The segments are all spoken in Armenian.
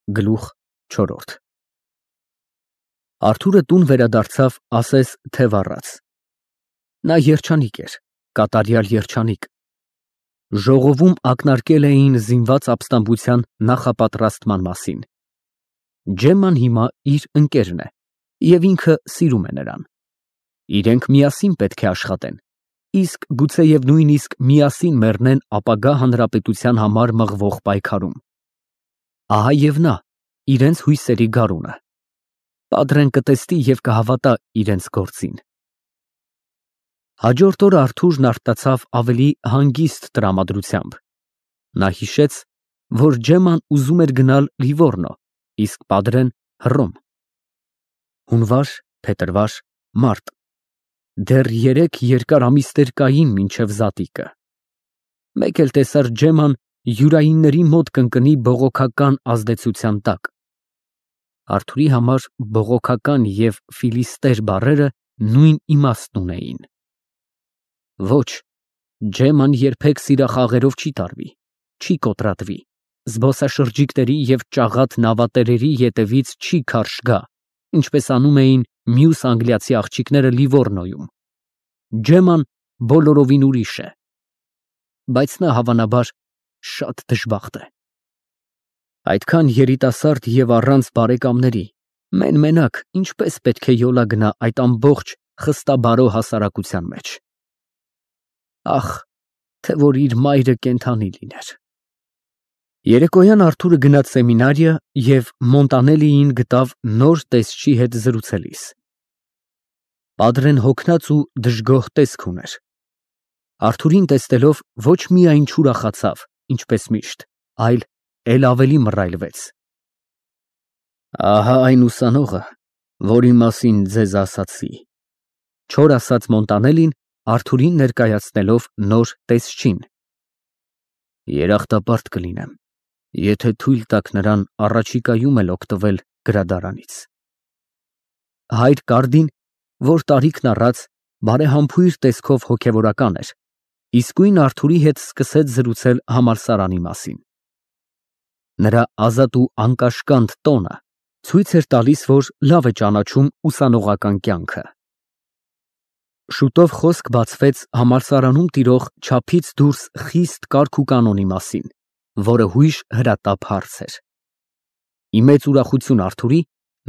Գլուխ 4 Արթուրը տուն վերադարձավ, ասես թե վառած։ Նա երջանիկ էր, կատարյալ երջանիկ։ Ժողովում ակնարկել էին զինված ապստամբության նախապատրաստման մասին։ Ջեմման հիմա իր ընկերն է, և ինքը սիրում է նրան։ Իրենք միասին պետք է աշխատեն, իսկ գուցեև նույնիսկ միասին մեռնեն ապագա հանրապետության համար մղվող պայքարում։ Ահա և նա, իրենց հույսերի գարունը։ Պատրեն կտեսնի և կհավատա իրենց գործին։ Հաջորդ օրը Արթուրն արտացավ ավելի հանգիստ տրամադրությամբ։ Նա հիշեց, որ Ջեմման ուզում էր գնալ Լիվորնո, իսկ Պատրեն Հռոմ։ Հունվար, փետրվար, մարտ։ Դեռ 3 երկար ամիսներ կային մինչև զատիկը։ Մեկ էլ տեսար Ջեմման յուրայինների մոտ կընկնի բողոքական ազդեցության տակ։ Արթուրի համար բողոքական և ֆիլիստեր բառերը նույն իմաստն ունեին։ Ոչ, Ջեմման երբեք սիրախաղերով չի տարվի, չի կոտրատվի, զբոսաշրջիկների և ճաղատ նավատերերի ետևից չի քարշ գա, ինչպես անում էին մյուս անգլիացի աղջիկները Լիվորնոյում։ Ջեմման բոլորովին ուրիշ է։ Բայց նա, հավանաբար, շատ դժբախտ է։ Այդքան երիտասարդ և առանց բարեկամների, մեն֊մենակ, ինչպես պետք է յոլա գնա այդ ամբողջ խստաբարո հասարակության մեջ։ Ախ, թե որ իր մայրը կենդանի լիներ։ Երեկոյան Արթուրը գնաց սեմինարիա և Մոնտանելիին գտավ նոր տեսչի հետ զրուցելիս։ Պատրեն հոգնած ու դժգոհ տեսք ուներ։ Արթուրին տեսնելով ոչ միայն չուրախացավ, ինչպես միշտ, այլ էլ ավելի մռայլվեց։ Ահա այն ուսանողը, որի մասին ձեզ ասացի, չոր ասաց Մոնտանելին, Արթուրին ներկայացնելով նոր տեսչին։ Երախտապարտ կլինեմ, եթե թույլ տաք նրան առաջիկայում էլ օգտվել գրադարանից։ Հայր Կարդին, որ տարիքն առած, բարեհամբույր տեսքով հոգևորական էր, իսկույն Արթուրի հետ սկսեց զրուցել համալսարանի մասին։ Նրա ազատ ու անկաշկանդ տոնը ցույց էր տալիս, որ լավ է ճանաչում ուսանողական կյանքը։ Շուտով խոսք բացվեց համալսարանում տիրող չափից դուրս խիստ կարգ ու կանոնի մասին, որը հույժ հրատապ հարց էր։ Ի մեծ ուրախություն Արթուրի,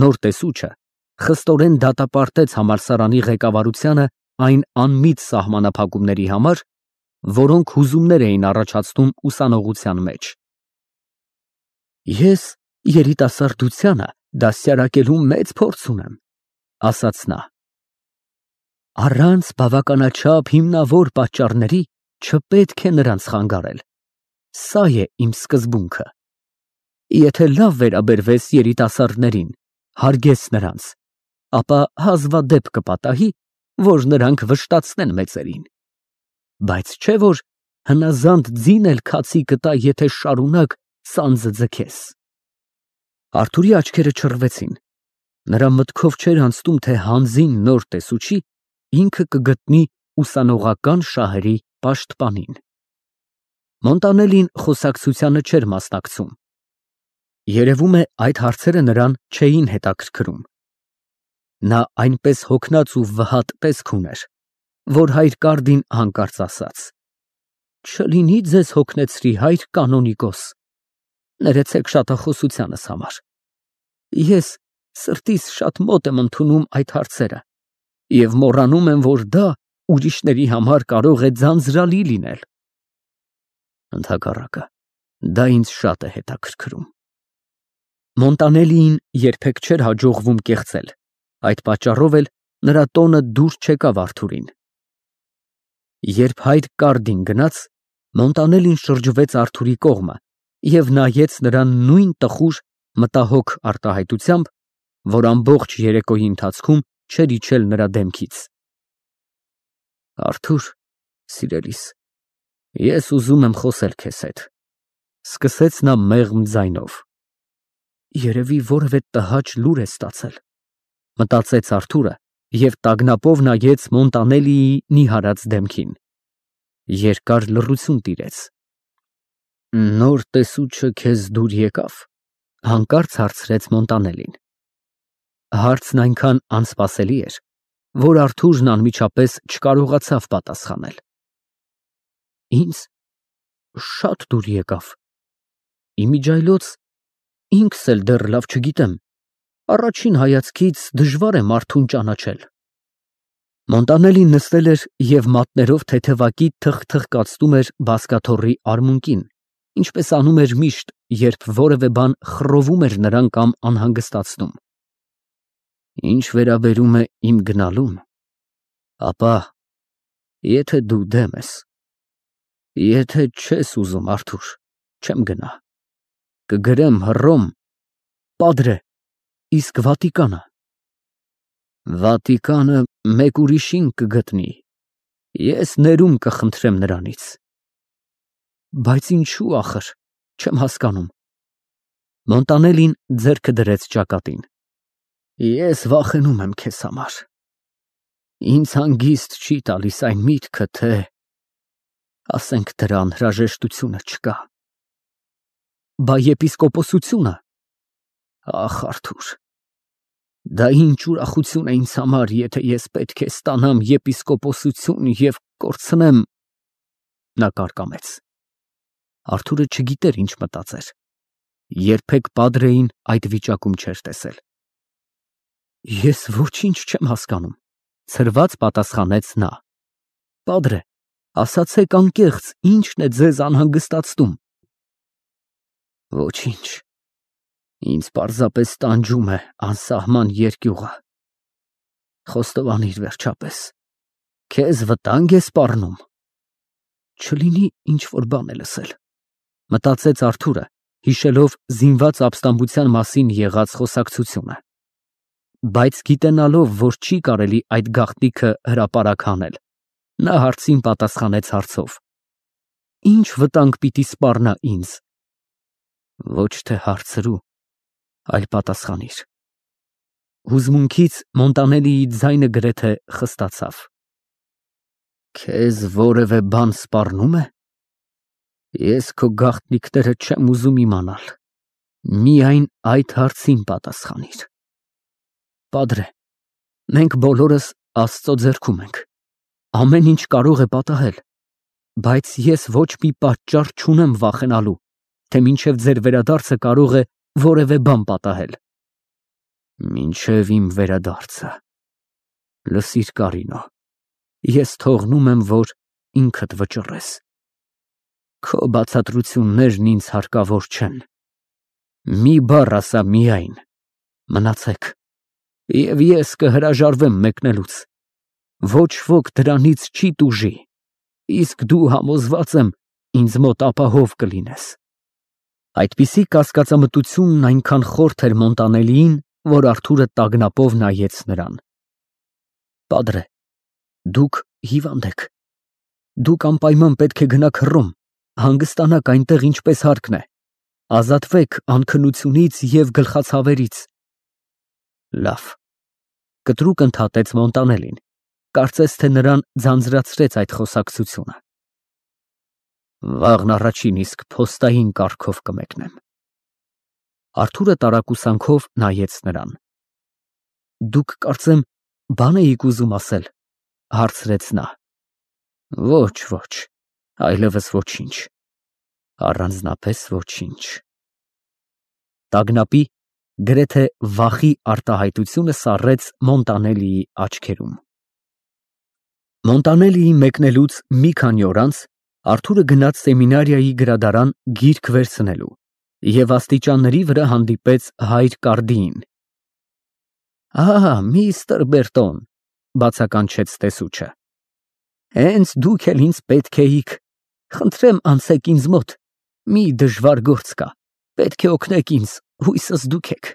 նոր տեսուչը խստորեն դատապարտեց համալսարանի ղեկավարությանը այն անմիտ սահմանափակումների համար, որոնք հուզումներ էին առաջացնում ուսանողության մեջ։ Ես երիտասարդությանը դաստիարակելու մեծ փորձ ունեմ, ասաց նա։ Առանց բավականաչափ հիմնավոր պատճառների չպետք է նրանց խանգարել։ Սա է իմ սկզբունքը։ Եթե լավ վերաբերվես երիտասարդներին, հարգես նրանց, ապա հազվադեպ կպատահի, որ նրանք վշտացնեն մեծերին։ Բայց չէ որ հնազանդ ձին էլ քացի կտա, եթե շարունակ սանձը ձգես։ Արթուրի աչքերը չռվեցին։ Նրա մտքով չէր անցնում, թե հանձին նոր տեսուչի ինքը կգտնի ուսանողական շահերի պաշտպանին։ Մոնտանելին խոսակցությանը չէր մասնակցում։ Երևում է, այդ հարցերը նրան չէին հետաքրքրում։ Նա այնպես հոգնած ու վհատ տեսք ուներ, որ հայր Կարդին հանկարծ ասաց. Չլինի ձեզ հոգնեցրի, հայր կանոնիկոս, ներեցեք շատախոսությանս համար։ Ես սրտիս շատ մոտ եմ ընդունում այդ հարցերը և մոռանում եմ, որ դա ուրիշների համար կարող է ձանձրալի լինել։ Ընդհակառակը, դա ինձ շատ է հետաքրքրում։ Մոնտանելիին երբեք չէր հաջողվում կեղծել, այդ պատճառով էլ նրա տոնը դուր չեկավ Արթուրին։ Երբ հայր Կարդին գնաց, Մոնտանելին շրջվեց Արթուրի կողմը և նայեց նրան նույն տխուր, մտահոգ արտահայտությամբ, որ ամբողջ երեկոյի ընթացքում չէր իջել նրա դեմքից։ Արթուր, սիրելիս, ես ուզում եմ խոսել քեզ հետ, սկսեց նա մեղմ ձայնով։ Երևի որևէ տհաճ լուր է ստացել, մտածեց Արթուրը և տագնապով նայեց Մոնտանելիի նիհարած դեմքին։ Երկար լռություն տիրեց։ Նոր տեսուչը քեզ դուր եկավ, Հանկարծ հարցրեց Մոնտանելին։ Հարցն այնքան անսպասելի էր, որ Արթուրն անմիջապես չկարողացավ պատասխանել։ Ինձ շատ դուր եկավ։ Իմիջայլոց ինքս էլ դեռ լավ չգիտեմ։ Առաջին հայացքից դժվար է մարդուն ճանաչել։ Մոնտանելին նստել էր և մատներով թեթևակի թխթխկացնում էր բազկաթոռի արմունկին, ինչպես անում էր միշտ, երբ որևէ բան խռովում էր նրան կամ անհանգստացնում։ Ինչ վերաբերում է իմ գնալուն, ապա եթե դու դեմ ես, եթե չես ուզում, Արթուր, չեմ գնա։ Կգրեմ Հռոմ, Պատրե, իսկ Վատիկանը։ Վատիկանը մեկ ուրիշին կգտնի, ես ներում կխնդրեմ նրանից։ Բայց ինչու ախր, չեմ հասկանում։ Մոնտանելին ձեռքը դրեց ճակատին։ Ես վախենում եմ քեզ համար։ Ինձ հանգիստ չի տալիս այն միտքը, թե ասենք դրա անհրաժեշտությունը չկա։ Բա եպիսկոպոսությունը։ Ախ, Արթուր, դա ինչ ուրախություն է ինձ համար, եթե ես պետք է ստանամ եպիսկոպոսություն և կորցնեմ… Նա կարկամեց։ Արթուրը չգիտեր ինչ մտածեր։ Երբեք Պատրեին այդ վիճակում չէր տեսել։ Ես ոչինչ չեմ հասկանում, ցրված պատասխանեց նա։ Պատրե, ասացեք անկեղծ, ի՞նչն է ձեզ անհանգստացնում։ Ոչինչ, ինձ պարզապես տանջում է անսահման երկյուղը։ Խոստովանիր վերջապես, քեզ վտանգ է սպառնում։ Չլինի ինչ-որ բան է լսել, մտածեց Արթուրը, հիշելով զինված ապստամբության մասին եղած խոսակցությունը։ Բայց գիտենալով, որ չի կարելի այդ գաղտնիքը հրապարակ հանել, նա հարցին պատասխանեց հարցով. Ինչ վտանգ պիտի սպառնա ինձ։ Ոչ թե հարցրու, այլ պատասխանիր։ Հուզմունքից Մոնտանելիի ձայնը գրեթե խստացավ։ Քեզ որևէ բան սպառնո՞ւմ է։ Ես քո գաղտնիքները չեմ ուզում իմանալ։ Միայն այդ հարցին պատասխանիր։ Պատրե, մենք բոլորս Աստծո ձեռքում ենք։ Ամեն ինչ կարող է պատահել, բայց ես ոչ մի պատճառ չունեմ վախենալու, թե մինչև ձեր վերադարձը կարող է որևէ բան պատահել։ Մինչև իմ վերադարձը։ Լսիր, Կարինո, ես թողնում եմ, որ ինքդ վճռես։ Քո բացատրություններն ինձ հարկավոր չեն։ Մի բառ ասա միայն, մնացեք, և ես կհրաժարվեմ մեկնելուց։ Ոչ ոք դրանից չի տուժի, իսկ դու համոզված եմ ինձ մոտ ապահով կլինես։ Այդպիսի կասկածամտությունն այնքան խորթ էր Մոնտանելիին, որ Արթուրը տագնապով նայեց նրան։ Պատրե, դուք հիվանդ եք։ Դուք անպայման պետք է գնաք Հռոմ, հանգստանաք այնտեղ ինչպես հարկն է, ազատվեք անքնությունից և գլխացավերից։ Լավ, կտրուկ ընդհատեց Մոնտանելին, կարծես թե նրան ձանձրացրեց այդ խոսակցությունը։ Վաղն առաջին իսկ փոստային կարգով կմեկնեմ։ Արթուրը տարակուսանքով նայեց նրան։ Դուք կարծեմ բան էիք ուզում ասել, հարցրեց նա։ Ոչ, ոչ, այլևս ոչինչ, առանձնապես ոչինչ։ Տագնապի, գրեթե վախի արտահայտությունը սառեց Մոնտանելիի աչքերում։ Մոնտանելիի մեկնելուց մի քանի օր անց Արթուրը գնաց սեմինարիայի գրադարան գիրք վերցնելու և աստիճանների վրա հանդիպեց հայր Կարդիին։ Միստր Բերտոն, բացականչեց տեսուչը։ Հենց դուք էլ ինձ պետք էիք։ Խնդրեմ անցեք ինձ մոտ, մի դժվար գործ կա, պետք է օգնեք ինձ, հույսս դուք եք։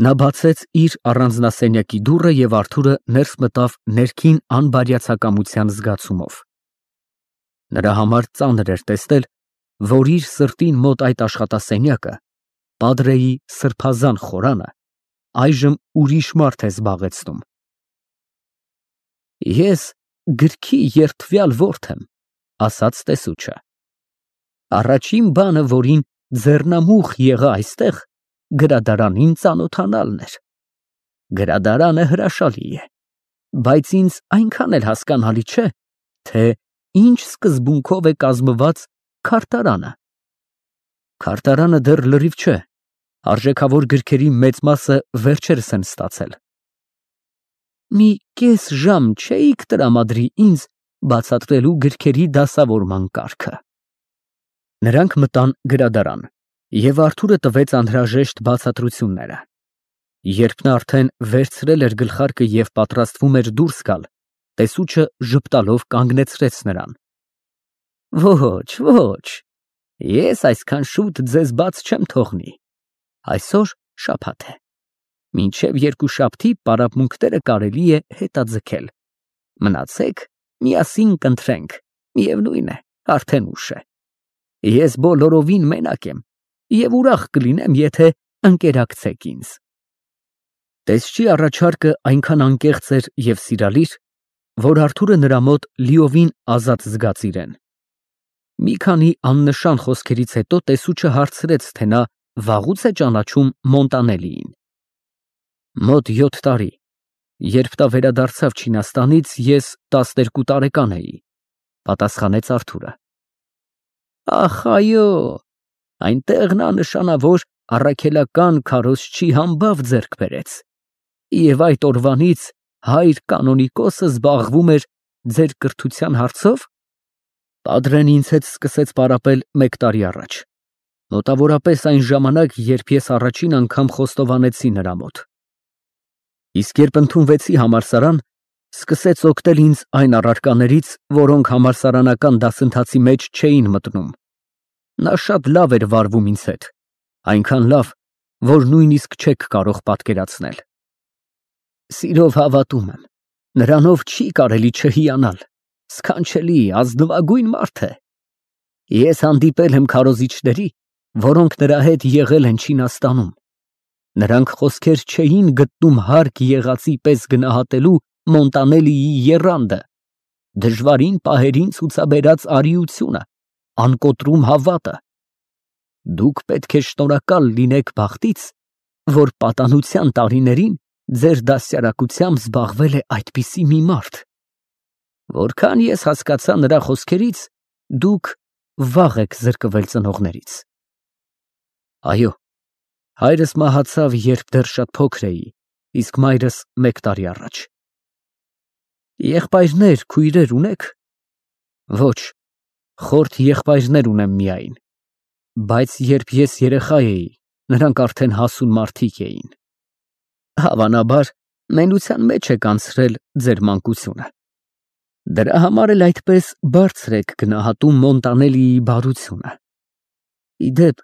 Նա բացեց իր առանձնասենյակի դուռը և Արթուրը ներս մտավ ներքին անբարյացակամության զգացումով։ Նրա համար ծանր էր տեսնել, որ իր սրտին մոտ այդ աշխատասենյակը, Պատրեի սրբազան խորանը, այժմ ուրիշ մարդ է զբաղեցնում։ Ես գրքի երդվյալ որդն եմ, ասաց տեսուչը։ Առաջին բանը, որին ձեռնամուխ եղա այստեղ գրադարանին ծանոթանալն էր։ Գրադարանը հրաշալի է, բայց ինձ այնքան էլ հասկանալի չէ, թե ինչ սկզբունքով է կազմված քարտարանը։ Քարտարանը դեռ լրիվ չէ, արժեքավոր գրքերի մեծ մասը վերջերս են ստացել։ Մի կես ժամ չէիք տրամադրի ինձ բացատրելու գրքերի դասավորման կարգը։ Նրանք մտան գրադարան, և Արթուրը տվեց անհրաժեշտ բացատրությունները։ Երբ նա արդեն վերցրել էր գլխարկը և պատրաստվում էր դուրս գալ, տեսուչը ժպտալով կանգնեցրեց նրան։ Ոչ, ոչ, ես այսքան շուտ ձեզ բաց չեմ թողնի, այսօր շաբաթ է, մինչև երկուշաբթի պարապմունքները կարելի է հետաձգել, մնացեք, միասին կընթրենք, միևնույն է, արդեն ուշ է, ես բոլորովին մենակ եմ և ուրախ կլինեմ, եթե ընկերակցեք ինձ։ Տեսչի առաջարկը այնքան անկեղծ էր և սիրալիր, որ Արթուրը նրա մոտ լիովին ազատ զգաց իրեն։ Մի քանի աննշան խոսքերից հետո տեսուչը հարցրեց, թե նա վաղուց է ճանաչում Մոնտանելիին։ Մոտ 7 տարի, երբ նա վերադարձավ Չինաստանից, ես 12 տարեկան էի, պատասխանեց Արթուրը։ Ախ, այո, այնտեղ նա նշանավոր առաքելական քարոզչի համբավ ձեռք բերեց, և այդ օրվանից հայր կանոնիկոսը զբաղվում էր ձեր կրթության հարցով։ Պատրեն ինձ հետ սկսեց պարապել 1 տարի առաջ, մոտավորապես այն ժամանակ, երբ ես առաջին անգամ խոստովանեցի նրա մոտ։ Իսկ երբ ընդունվեցի համալսարան, սկսեց օգնել ինձ այն առարկաներից, որոնք համալսարանական դասընթացի մեջ չէին մտնում։ Նա շատ լավ էր վարվում ինձ հետ, այնքան լավ, որ նույնիսկ չեք կարող պատկերացնել։ Սիրով հավատում եմ, նրանով չի կարելի չհիանալ, սքանչելի, ազնվագույն մարդ է։ Ես հանդիպել եմ քարոզիչների, որոնք նրա հետ եղել են Չինաստանում։ Նրանք խոսքեր չէին գտնում հարկ եղածի պես գնահատելու Մոնտանելիի եռանդը, դժվարին պահերին ցուցաբերած արիությունը, անկոտրում հավատը։ Դուք պետք է շնորհակալ լինեք բախտից, որ պատանության տարիներին ձեր դաստիարակությամբ զբաղվել է այդպիսի մի մարդ։ Որքան ես հասկացա նրա խոսքերից, դուք վաղ եք զրկվել ծնողներից։ Այո, հայրս մահացավ, երբ դեռ շատ փոքր էի, իսկ մայրս 1 տարի առաջ։ Եղբայրներ, քույրեր ունեք։ Ոչ, խորթ եղբայրներ ունեմ միայն, բայց երբ ես երեխա էի, նրանք արդեն հասուն մարդիկ էին։ Հավանաբար, մենության մեջ եք անցրել ձեր մանկությունը։ Դրա համար էլ այդպես բարձր եք գնահատում Մոնտանելիի բարությունը։ Ի դեպ,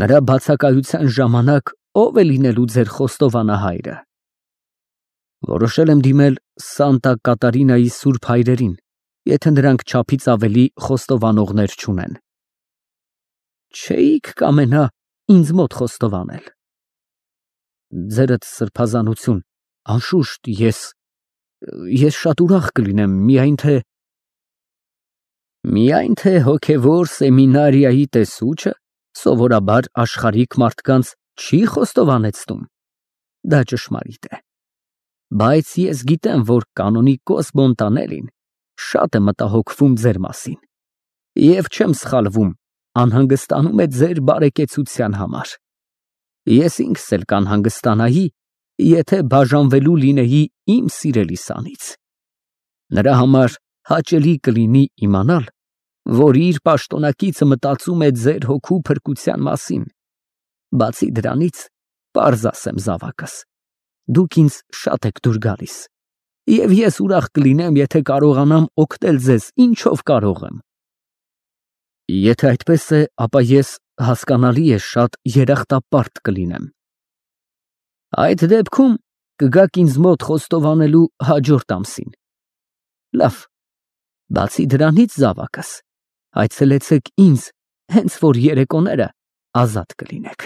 նրա բացակայության ժամանակ ով է լինելու ձեր խոստովանահայրը։ Որոշել եմ դիմել Սանտա Կատարինայի սուրբ հայրերին, եթե նրանք չափից ավելի խոստովանողներ չունեն։ Չէիք կամենա ինձ մոտ խոստովանել։ Ձերդ սրբազանություն, անշուշտ, ես շատ ուրախ կլինեմ, միայն թե հոգևոր սեմինարիայի տեսուչը սովորաբար աշխարհիկ մարդկանց չի խոստովանեցնում։ Դա ճշմարիտ է։ Բայց ես գիտեմ, որ կանոնիկոս Մոնտանելին շատ է մտահոգվում ձեր մասին, և չեմ սխալվում, անհանգստանում է ձեր բարեկեցության համար։ Ես ինքս էլ կանհանգստանայի, եթե բաժանվելու լինեի իմ սիրելի սանից։ Նրա համար հաճելի կլինի իմանալ, որ իր պաշտոնակիցը մտածում է ձեր հոգու փրկության մասին։ Բացի դրանից, պարզ ասեմ զավակս, դուք ինձ շատ եք դուր գալիս, և ես ուրախ կլինեմ, եթե կարողանամ օգնել ձեզ ինչով կարող եմ։ Եթե այդպես է, ապա ես, հասկանալի է, շատ երախտապարտ կլինեմ։ Այդ դեպքում կգաք ինձ մոտ խոստովանելու հաջորդ ամսին։ Լավ, բացի դրանից, զավակս, այցելեցեք ինձ, հենց որ երեկոները ազատ կլինեք։